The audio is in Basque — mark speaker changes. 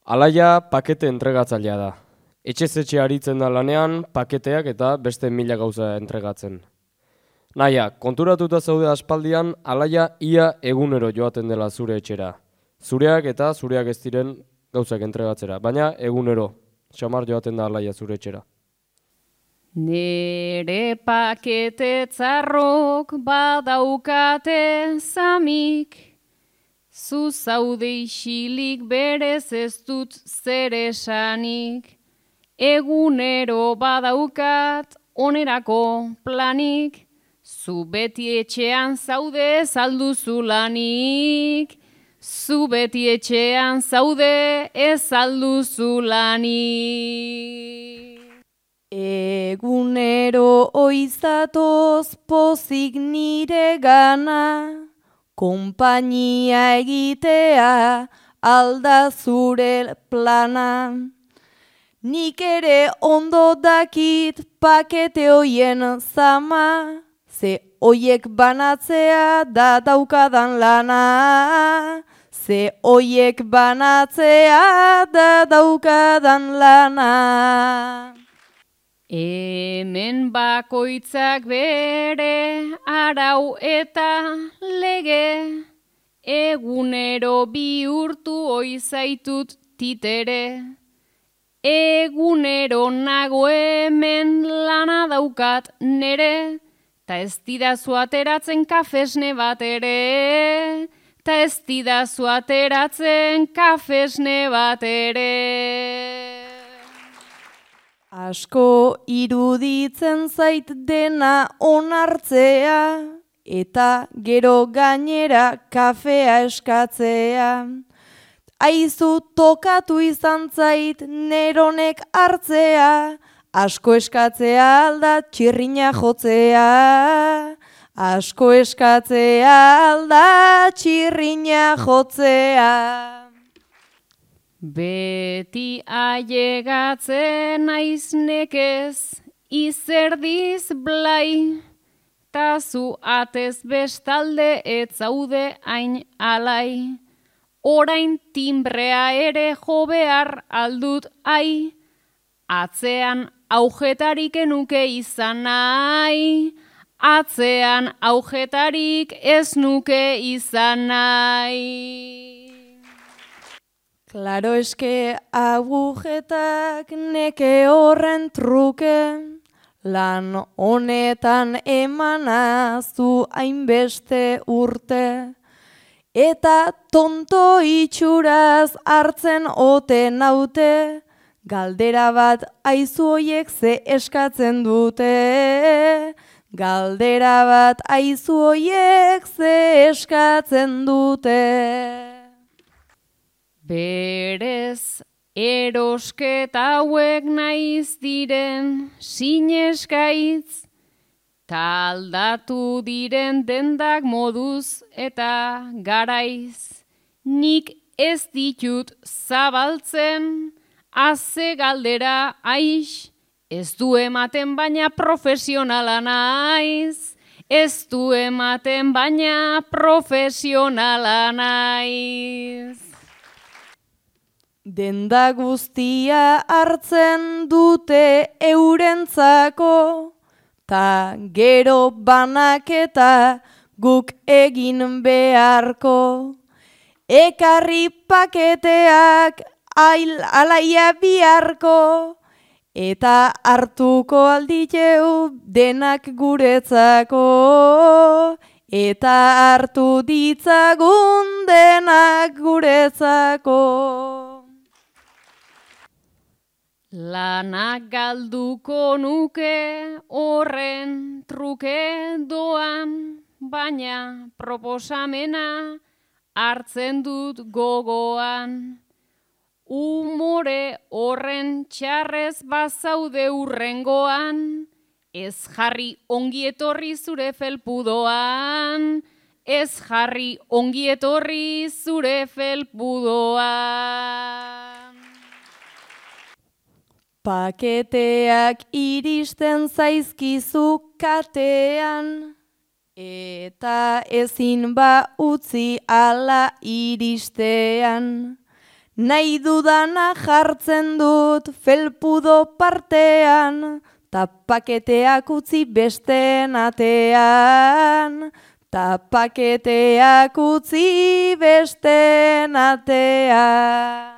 Speaker 1: Alaia pakete entregatzailea da. Etxez-etxe aritzen da lanean, paketeak eta beste 1000 gauza entregatzen. Naia, konturatuta zaude aspaldian, Alaia ia egunero joaten dela zure etxera. Zureak eta zureak ez diren gauzak entregatzera, baina egunero. Xamar joaten da Alaia zure etxera.
Speaker 2: Nere pakete tzarrok badaukate zamik, zu zaude isilik berez ez dut zer esanik. Egunero badaukat onerako planik, zu beti etxean zaude salduzu lanik. Zu beti etxean zaude ez salduzu lanik.
Speaker 3: Egunero oizatoz pozik nire gana, konpainia egitea alda zure plana. Nik ere ondo dakit pakete hoien zama, ze hoiek banatzea da daukadan lana. Ze hoiek banatzea da daukadan lana.
Speaker 2: Hemen bakoitzak bere arau eta lege, egunero bihurtu oizaitut titere. Egunero nago hemen lana daukat nere, ta ez didazu ateratzen kafesne bat ere. Ta ez didazu ateratzen kafesne bat ere.
Speaker 3: Asko iruditzen zait dena onartzea, eta gero gainera kafea eskatzea. Aizu tokatu izan zait neronek hartzea, asko eskatzea alda txirrina jotzea. Asko eskatzea alda txirrina jotzea.
Speaker 2: Beti ailegatzen naiz nekez, izerdiz blai, ta zu atez bestalde ez zaude hain alai. Orain timbrea ere jo behar aldut ai, atzean aujetarik enuke izan nahi. Atzean aujetarik ez nuke izan nahi.
Speaker 3: Klaro eske agujetak neke horren truke, lan honetan emanazu hainbeste urte. Eta tonto itxuraz hartzen ote naute, galdera bat aizu hoiek ze eskatzen dute. Galdera bat aizu hoiek ze eskatzen dute.
Speaker 2: Berez, erosketa hauek naiz diren sineskaitz, ta aldatu diren dendak moduz eta garaiz. Nik ez ditut zabaltzen, haze galdera aix, ez du ematen baina profesionala naiz. Ez du ematen baina profesionala naiz.
Speaker 3: Denda guztia hartzen dute eurentzako, ta gero banaketa guk egin beharko. Ekarri paketeak Alaia biharko, eta hartuko alditeu denak guretzako. Eta hartu ditzagun denak guretzako.
Speaker 2: Lanak galduko nuke horren truke doan, baina proposamena hartzen dut gogoan. Umore horren txarrez bazaude urrengoan, ez jarri ongietorri zure felpudoan. Ez jarri ongietorri zure felpudoan.
Speaker 3: Paketeak iristen zaizkizu katean, eta ezin ba utzi ala iristean. Nahi dudana jartzen dut felpudo partean, ta paketeak utzi besteen atean, ta paketeak utzi besteen atean.